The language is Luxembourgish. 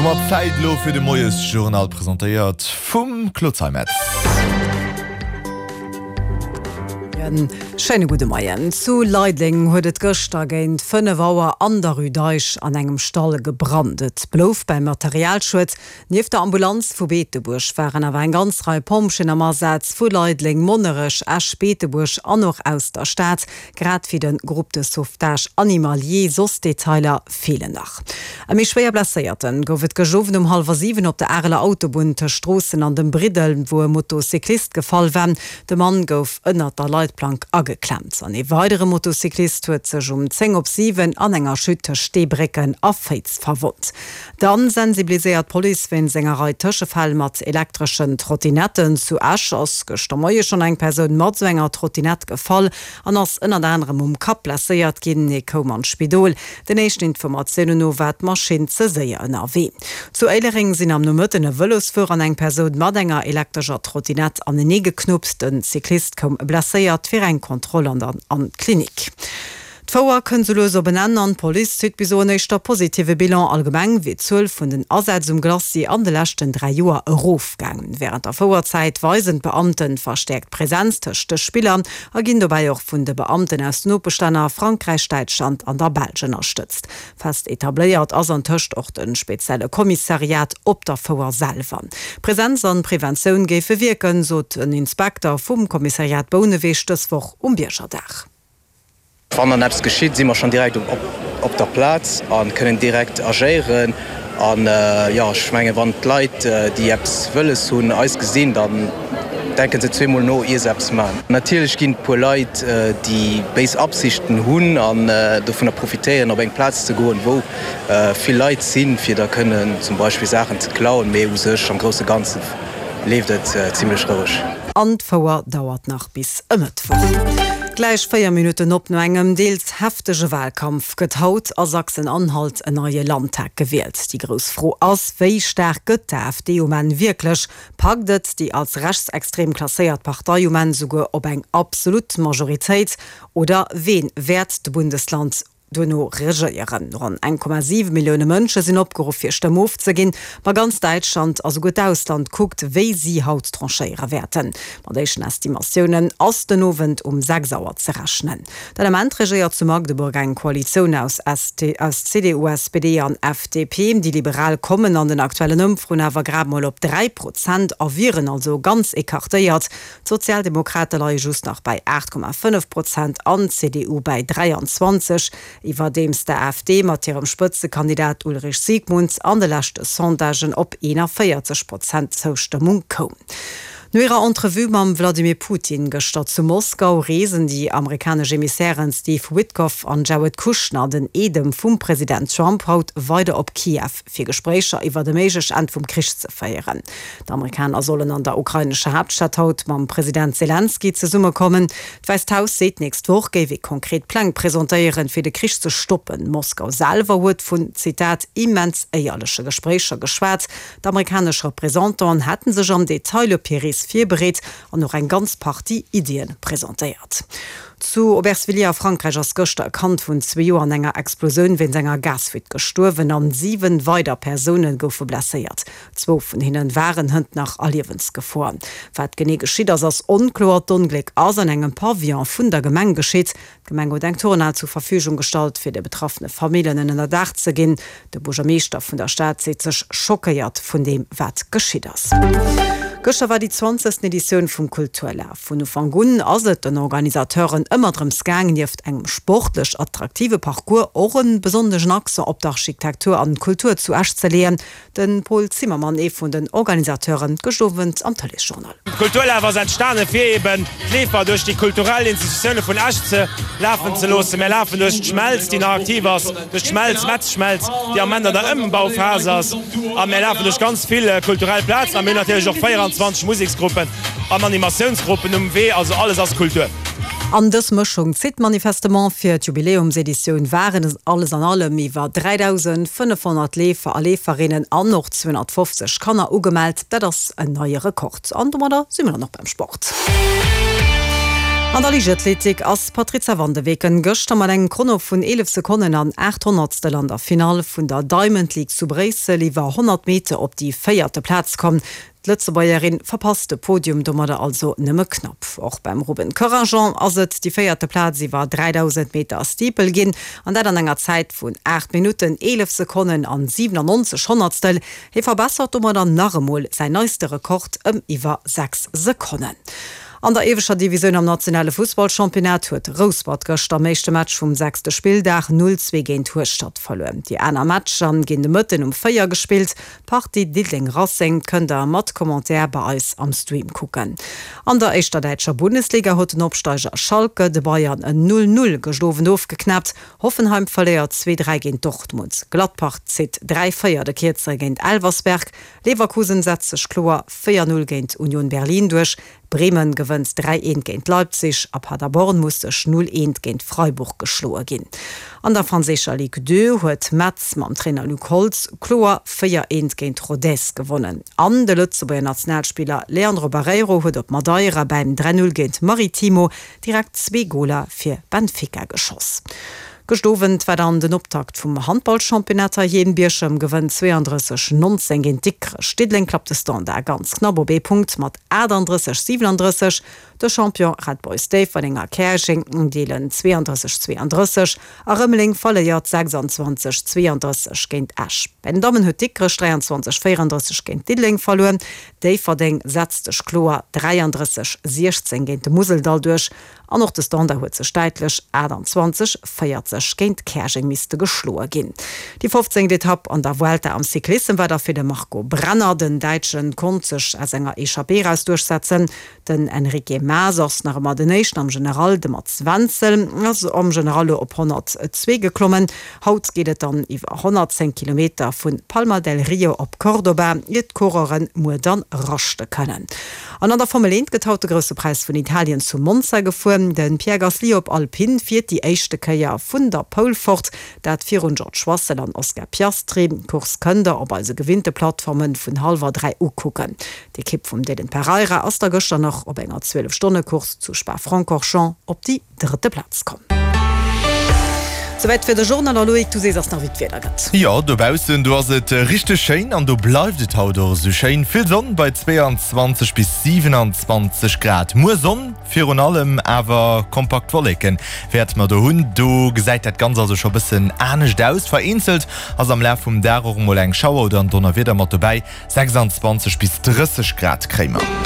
Domat Zäit elo fir de Moiesjournal, presentéiert vum Claude Zeimetz. Schéine gudde Moien. Zu Leideleng huet et gëschter géint 5 Auer an der Rue d'Eich an engem Stall gebrannt. Et blouf beim Materialschued. Nieft der Ambulanz vu Beetebuerg waren awer eng ganz Rei Pompjeeën am Asaz, vu Leideleng, Monnerech, Esch, Beetebuerg an och aus der Stad, grad wéi de Groupe de sauvetage animalier. Soss Detailer feelen nach. E méi schwéier Blesséierte gouf et gëscht Owend um hallwer 7 op der Areler Autobunn tëscht Stroossen an dem Briddel, wou e Motocyclist gefall war. De Mann gouf ënnert der Leitplank ageklemmt. An ee weidere Motocyclist huet sech um 10 op 7 an enger Chute tëscht Steebrécken a Féiz verwonnt. Dann sensibiliséiert d'Police wéinst enger Rei Tëschefäll mat elektreschen Trottinetten. Zu Esch ass gëschter Moie schonn eng Persoun mat esou enger Trottinett gefall an ass ënnert anerem um Kapp blesséiert ginn. Hie koum an d'Spidol. Den éischten Informatiounen no war d'Maschinn ze séier ënnerwee. Zu Éilereng sinn am Nomëtten e Vëlosfuerer an eng Persoun mat enger elektrescher Trottinett anenee geknuppt. Den Cyclist koum blesséiert fir eng Kontroll an dann an d'Klinik. D'Fouer kënnt sou lues op en Enn an d'Police zitt bis elo en éischter positive Bilan. Allgemeng wier d'Zuel vun den Asätz um Glacis an de leschten 3 Joer erofgaangen. Wärend der Fouerzäit weisen d'Beamten verstäerkt Präsenz tëscht de Spiller a ginn dobäi och vun de Beamten aus den Nopeschlänner Frankräich, Däitschland an der Belsch ënnerstëtzt. Fest etabléiert ass antëscht och de spezielle Kommissariat op der Fouer selwer. Präsenz an Preventioun géife wierken, sot en Inspekter vum Kommissariat Bouneweg dës Woch um Biergerdag. Wann dann eppes geschitt, si mer schonn direkt op der Plaz a kënnen direkt agéieren. An jo, ech mengen, wann d'Leit, déi eppes wëlles hunn, eis gesinn, dann denke se zweemol no, ier se eppes maachen. Natierlech ginn et e puer Leit, déi béis Absichten hunn an dovunner profitéieren, op eng Plaz ze goen, wou vill Leit sinn, fir da kënnen zum Beispill Saachen ze klauen. Mee u sech am grousse Ganze leeft et zimmlech roueg. An d'Fouer dauert nach bis e Mëttwoch. Gläich 4 Minutten op. No engem deels heftege Walkampf gëtt haut a Sachsen-Anhalt en neie Landtag gewielt. Déi grouss Fro ass, Wéi staark gëtt d'AfD um Enn wierklech? Packt et déi als rechtsextrem klasséiert Partei um Enn souguer op eng absolut Majoritéit? Oder ween wäert de Bundesland duerno regéieren. Ronn 1,7 Millioune Mënsche sinn opgeruff fir Stëmm ofzeginn, ma ganz Däitschland a souguer d'Ausland kuckt, wéi si haut tranchéiere wäerten. Mat éischten Estimatiounen ass den Owend um 6 Auer ze rechnen. Den Ament regéiert zu Magdeburg eng Koalitioun aus aus CDU, SPD an FDP. Déi Liberal kommen an den aktuellen Ëmfroen awer grad mol op 3 Prozent a wieren also ganz ecartéiert. D'Sozialdemokrate leie just nach bei 8,5 Prozent an d'CDU bäi 23, iwwerdeems d'AfD mat hirem Spëtzekandidat Ulrich Siegmund an de leschte Sondagen op 41 Prozent Zoustëmmung koum. No hirer Entrevue mam Wladimir Putin gëschter zu Moskau reesen déi amerikanesch Emissairen Steve Witkoff an Jared Kushner, den Eedem vum President Trump, haut weider op Kiew. fir Gespréicher iwwert e méiglech Enn vum Krich ze féieren. D'Amerikaner sollen an der ukrainescher Haaptstad haut mam President Selenskyj zesummekommen. D'Wäisst Haus seet, d'nächst Woch géif ee konkret Pläng presentéieren, fir de Krich ze stoppen. Moskau selwer huet vun, Zitat, immens éierleche Gespréicher geschwat. D'amerikanesch Representanten hätte sech am Detail op hir Rees virbereet an och eng ganz Partie Iddie presentéiert. Zu Aubervilliers a Frankräich ass gëschter e Kand vun zwee Joer an enger Explosioun wéinst enger Gasfuite gestuerwen an 7 weider Persoune goufe blesséiert. Zwou vun hinne waren hënt nach a Liewensgefor. Wat genee geschitt ass, ass onkloer. D'Ongléck ass an engem Pavillon vun der Gemeng geschitt. D'Gemeng huet eng Turnhal zur Verfügung gestallt, fir de betraffene Famillen en Ënnerdaach ze ginn. De Buergermeeschter vun der Stad seet sech schockéiert vun deem, wat geschitt ass. Gëschter war déi zwanzegsten Editioun vum Kulturlaf. Vun Ufank un ass et den Organisateuren ëmmer drëms gaang, nieft engem sportlech attraktive Parcours och e besonneschen Accent op d'Architektur an d'Kultur zu Esch ze leeën. De Paul Zimmermann, ee vun den Organisateuren, gëscht Owend am Tëleesjournal. De Kulturlaf ass entstane fir eben d'Leefer duerch déi kulturell Institutioune vun Esch ze lafen ze loossen. Mär lafen duerch d'Schmelz, déi nach aktiv ass, duerch d'Schmelz, Metzschmelz, déi am Ament an der Ëmbauphas ass. A mär lafen duerch ganz vill kulturell Plazen. A mir hunn natierlech och 24 Museksgruppen an Animatiounsgruppen um Wee. Also alles ass Kultur. An dës Mëschung zitt manifestement. Fir d'Jubiläumseditioun waren et alles an allem iwwer 3.500 Leefer a Leeferinnen an och 250 Kanner ugemellt. Dat ass en neie Rekord. An domadder si mir dann och beim Sport. An der Liichtathletik ass d'Patrizia van de Weken gëschter mat engem Chrono vun 11 Sekonnen an 8 Honnertstel an der Finall vun der Diamond League zu Bréissel iwwer 100 Meter op déi véierte Plaz komm. D'Lëtzebuergerin verpasst de Podium domadder also nëmme knapp. Och beim Ruben Corajon ass et déi véierte Plaz iwwer 3000 Meter Steeple ginn, an dat an enger Zäit vun 8 Minutten, 11 Sekonnen an 97 Honnertstel. Hie verbessert domadder nach emol säin neiste Rekord ëm iwwer 6 Sekonnen. An der ieweschter Divisioun am nationale Fussballchampionnat huet Rouspert gëschter am éischte Match vum sechste Spilldag 0, 2 géint Hueschtert verluer. Déi aner Matcher ginn de Mëtten um 4 gespillt. D'Partie Diddeleng-Racing kënnt der mat Commentaire bei eis am Stream kucken. An der éischter däitscher Bundesliga huet den Opsteiger Schalke de Bayern en 0, 0 gëscht Owend ofgeknäppt. Hoffenheim verléiert 2, 3 géint Dortmund. Gladbach zitt 3, 4 de Kierzere géint Elversberg. Leverkusen setzt sech kloer 4, 0 géint Union Berlin duerch. Bremen gewënnt 3, 1 géint Leipzig a Paderborn muss sech 0, 1 géint Freiburg geschloe ginn. An der franséischer Ligue 2 huet Metz mam Trainer Luc Holtz kloer 4, 1 géint Rodez gewonnen. An de Lëtzebuerger Nationalspiller Leandro Barreiro huet op Madeira bäim 3, 0 géint Maritimo direkt zwee Goler fir Benfica geschoss. Gëscht Owend war dann den Optakt vum Handballchampionnat heiheem. Bierchem gewënnt 32, 19 géint Dikrech. Diddeleng klappt de Standard ganz knapp op ee Punkt mat 38, 37. De Champion Red Boys Déifferdeng a Käerjeng deelen 32, 32 a Rëmeleng verléiert 26, 32 géint Esch. Bei den Dammen huet Dikrech 23, 34 géint Diddeleng verluer. Déifferdeng setzt sech kloer 33, 16 géint de Museldall duerch an och de Standard huet sech däitlech 28, 40 géint Käerjeng misste geschloe ginn. Déi fofzéngt Etapp an der Vuelta am Cyclissem war da fir de Marco Brenner. Den Däitsche konnt sech aus enger Echappée eraus duerchsetzen. Den Enrique Mas ass nach ëmmer den Éischten am General, de Mats Wenzel ass am General lo op 102 geklommen. Haut geet et dann iwwer 110 Kilometer vu Palma del Rio op Cordoba, ier d'Coureuren muer dann raschte kënnen. An an der Formel 1 gëtt haut de Grousse Präis vun Italien zu Monza gefuer. De Pierre Gasly op Alpine fiert déi éischte Kéier vun der Pole fort, dat virun George Russell an Oscar Piastri. D'Course kënnt der op eise gewinnte Plattforme vun hallwer 3 ukucken. D'Ekipp vum Dylan Pereira ass da gëschter nach op enger 12 Stonne Course zu Spa-Francorchamps op déi drëtte Plaz komm. Souwäit fir de Journal. A Loïc, du sees eis nach wéi d'Wieder gëtt. Jo, dobaussen do ass et richteg schéin an do bleift et haut och esou schéin. Vill Sonn bei 22 bis 27 Grad. Muer Sonn, virun allem awer kompakt Wolleken wäerte mer do hunn. Do gesäit dat Ganzt also scho bëssen anescht aus. Vereenzelt ass am Laf vum Dag och emol eng Schauer oder en Donnerwieder mat dobäi. 26 bis 30 Grad kréie mer.